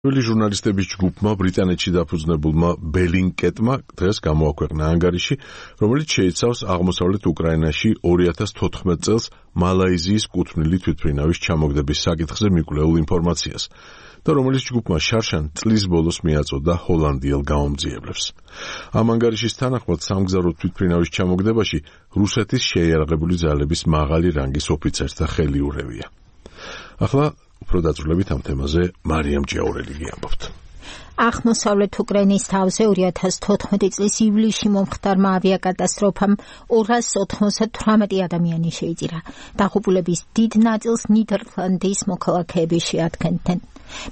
ჟურნალისტების ჯგუფმა ბრიტანეთში დაფუძნებულმა ბელინკეტმა დღეს გამოაქვეყნა ანგარიში, რომელიც შეიცავს აღმოსავლეთ უკრაინაში 2014 წელს მალაიზიის კუთვნილი თვითმფრინავის ჩამოგდების საკითხზე მიკვლეულ ინფორმაციას და რომელიც ჯგუფმა შარშან წლის ბოლოს მიაწოდა ჰოლანდიელ გამომძიებლებს. ამ ანგარიშის თანახმად სამგზავრო თვითმფრინავის ჩამოგდებაში რუსეთის შეიარაღებული ძალების მაღალი რანგის ოფიცერთა ხელი ურევია. ახლა უფრო დაწვრილებით ამ თემაზე მარიამ ჭიაურელი გიამბობთ. აღმოსავლეთ უკრაინის თავზე 2014 წლის ივლისში მომხდარმა ავიაკატასტროფამ 298 ადამიანი შეიჭირა. დაღუპულების დიდ ნაწილს ნიდერლანდის მოქალაქეები შეადგენდნენ.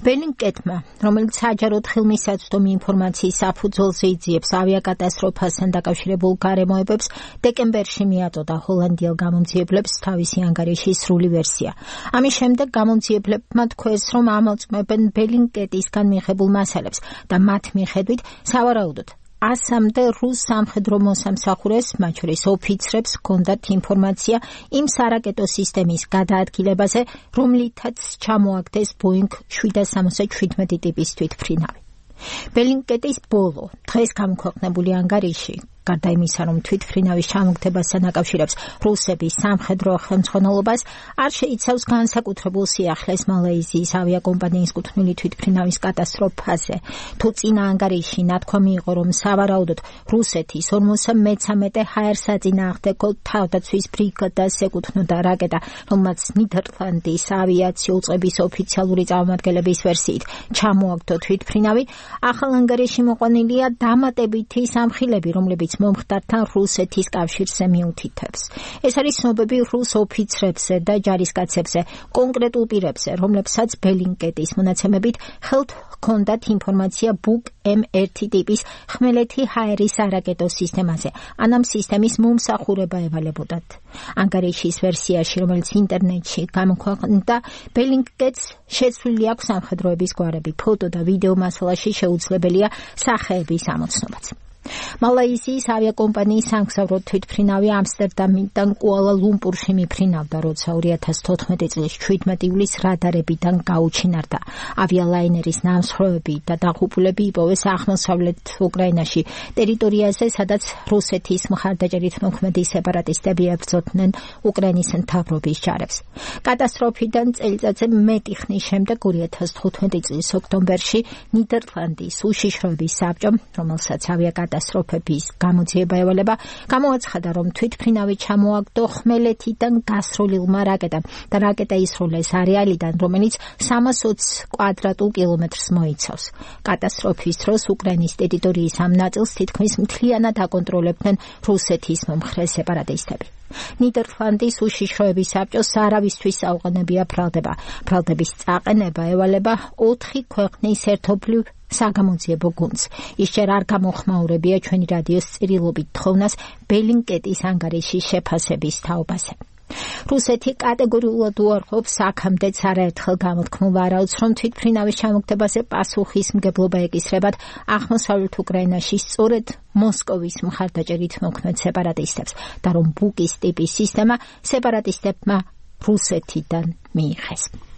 ბელინკეტმა, რომელიც საჯაროდ ხელმისაწვდომი ინფორმაციის საფუძველზე იძიებს ავიაკატასტროფასთან დაკავშირებულ გარემოებებს, დეკემბერში მიაწოდა ჰოლანდიელ გამომძიებლებს თავისი ანგარიშის სრული ვერსია. ამის შემდეგ გამომძიებლებმა თქვეს, რომ ამოწმებენ ბელინკეტისგან მიღებულ მასალებს და მათ მიხედვით სავარაუდოდ 100-მდე რუს სამხედრო მოსამსახურეს, მათ შორის ოფიცრებს, ჰქონდათ ინფორმაცია იმ სარაკეტო სისტემის გადაადგილებაზე, რომლითაც ჩამოაგდეს Boeing 777 ტიპის თვითმფრინავი. ბელინკეტის ბოლო დღეს გამოქვეყნებული ანგარიში გარდა იმისა, რომ თვითმფრინავის ჩამოგდებასთან აკავშირებს რუსების სამხედრო ხელმძღვანელობას, არ შეიცავს განსაკუთრებულ სიახლეს მალაიზიის ავიაკომპანიის კუთვნილი თვითმფრინავის კატასტროფაზე. თუ წინა ანგარიში ნათქვამი იყო, რომ სავარაუდოდ რუსეთის 53 ჰაერსაწინააღმდეგო თავდაცვის ბრიგადას ეკუთვნოდა რაკეტა, რომელმაც ნიდერლანდის ავიაციო უწყების ოფიციალური წარმომადგენლების ვერსიით ჩამოაგდო თვითმფრინავი, ახალ ანგარიში მოყვანილია დამატებითი სამხილები, რომლებიც მომხდართან რუსეთის კავშირზე მიუთითებს. ეს არის ცნობები რუს ოფიცრებზე და ჯარისკაცებზე, კონკრეტულ პირებზე, რომლებსაც ბელინკეტის მონაცემებით ხელთ ჰქონდათ ინფორმაცია Buk M1 ტიპის ხმელეთი ჰაერის არაკეტო სისტემაზე, ან ამ სისტემის მომსახურება ევალებოდათ. ანგარიშის ვერსიაში, რომელიც ინტერნეტში გამოქვეყნდა, ბელინკეტს შეცვლილი აქვს სამხედროების გვარები, ფოტო და ვიდეო მასალაში შეუძლებელია სახეების ამოცნობაც. მალაიზიის ავიაკომპანიის სამგზავრო თვითმფრინავი ამსტერდამიდან კუალა-ლუმპურში მიფრინავდა, როცა 2014 წლის 17 ივლისს რადარებიდან გაუჩინარდა. ავიალაინერის ნამსხვრევები და დაღუპულები იპოვეს აღმოსავლეთ უკრაინაში, ტერიტორიაზე, სადაც რუსეთის მხარდაჭერით მოქმედი სეპარატისტები ებრძოდნენ უკრაინის მთავრობის ჯარებს. კატასტროფიდან წელიწადზე მეტი ხნის შემდეგ 2015 წლის ოქტომბერში ნიდერლანდის უშიშროების საბჭომ, რომელსაც კატასტროფების გამოძიება ევალება, გამოაცხადა, რომ თვითმფრინავი ჩამოაგდო ხმელეთიდან გასრულილმა რაკეტამ და რაკეტა ისროლეს არეალიდან, რომელიც 320 კვადრატულ კილომეტრს მოიცავს. კატასტროფის დროს უკრაინის ტერიტორიის ამ ნაწილს თითქმის მთლიანად აკონტროლებდნენ რუსეთის მომხრე სეპარატისტები. ნიდერლანდის უშიშროების საბჭოს არავისთვის აუყენებია ბრალდება. ბრალდების წაყენება ევალება 4 ქვეყნის ერთობლივ საგამოძიებო გუნდს. ის ჯერ არ გამოხმაურებია ჩვენი რადიოს წირილობით თხოვნას ბელინკეტის ანგარიშის შეფასების თაობაზე. რუსეთი კატეგორიულად უარყოფს აქამდეც არაერთხელ გამოთქმულ ვარაუდს, რომ თვითმფრინავის ჩამოგდებაზე პასუხისმგებლობა ეკისრებათ აღმოსავლეთ უკრაინაში სწორედ მოსკოვის მხარდაჭერით მოქმედ სეპარატისტებს და რომ ბუკის ტიპის სისტემა სეპარატისტებმა რუსეთიდან მიიღეს.